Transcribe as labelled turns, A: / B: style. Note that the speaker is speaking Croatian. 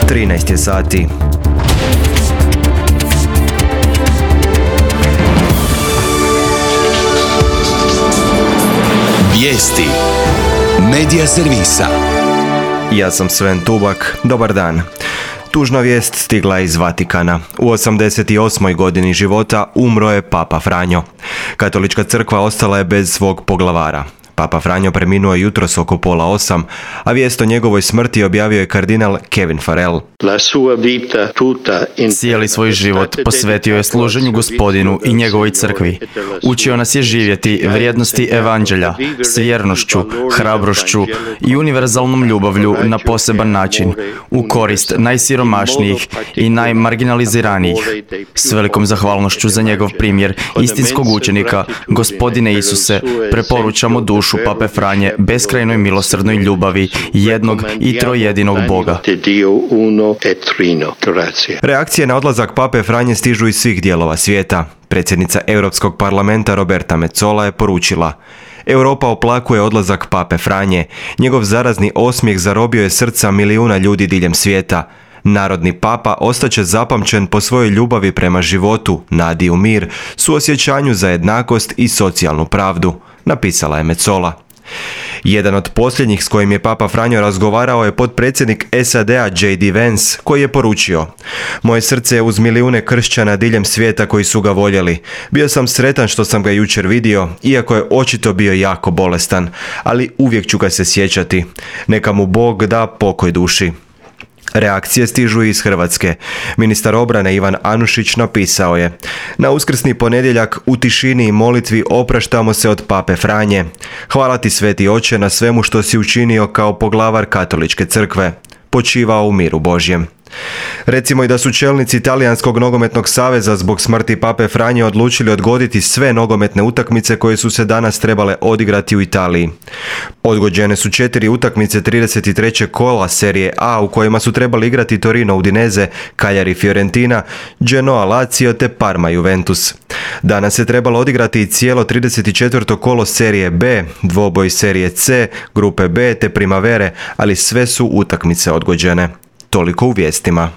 A: 13 je sati.
B: Vijesti Medija servisa.
A: Ja sam Sven Tubak, dobar dan. Tužna vijest stigla iz Vatikana. U 88. godini života umro je Papa Franjo. Katolička crkva ostala je bez svog poglavara. Papa Franjo preminuo je jutros oko 7:30, a vijest o njegovoj smrti objavio je kardinal Kevin Farrell.
C: Cijeli svoj život posvetio je služenju Gospodinu i njegovoj crkvi. Učio nas je živjeti vrijednosti evanđelja s vjernošću, hrabrošću i univerzalnom ljubavlju na poseban način, u korist najsiromašnijih i najmarginaliziranijih. S velikom zahvalnošću za njegov primjer istinskog učenika, Gospodine Isuse, preporučamo dušu Pape Franje beskrajnoj milosrdnoj ljubavi jednog i trojedinog Boga.
A: Reakcije na odlazak Pape Franje stižu iz svih dijelova svijeta. Predsjednica Europskog parlamenta Roberta Metsola je poručila: Europa oplakuje odlazak Pape Franje. Njegov zarazni osmijeh zarobio je srca milijuna ljudi diljem svijeta. Narodni papa ostaće zapamćen po svojoj ljubavi prema životu, nadi u mir, suosjećanju za jednakost i socijalnu pravdu, napisala je Metsola. Jedan od posljednjih s kojim je Papa Franjo razgovarao je potpredsjednik SAD-a J.D. Vance, koji je poručio: Moje srce je uz milijune kršćana diljem svijeta koji su ga voljeli. Bio sam sretan što sam ga jučer vidio, iako je očito bio jako bolestan, ali uvijek ću ga se sjećati. Neka mu Bog da pokoj duši. Reakcije stižu iz Hrvatske. Ministar obrane Ivan Anušić napisao je: Na uskrsni ponedjeljak u tišini i molitvi opraštamo se od Pape Franje. Hvala ti, Sveti Oče, na svemu što si učinio kao poglavar Katoličke crkve. Počivao u miru Božjem. Recimo i da su čelnici Talijanskog nogometnog saveza zbog smrti Pape Franje odlučili odgoditi sve nogometne utakmice koje su se danas trebale odigrati u Italiji. Odgođene su 4 utakmice 33. kola Serije A u kojima su trebali igrati Torino Udinese, Cagliari Fiorentina, Genoa Lazio te Parma Juventus. Danas se trebalo odigrati i cijelo 34. kolo Serije B, dvoboj Serije C, grupe B te Primavere, ali sve su utakmice odgođene. Toliko u vijestima.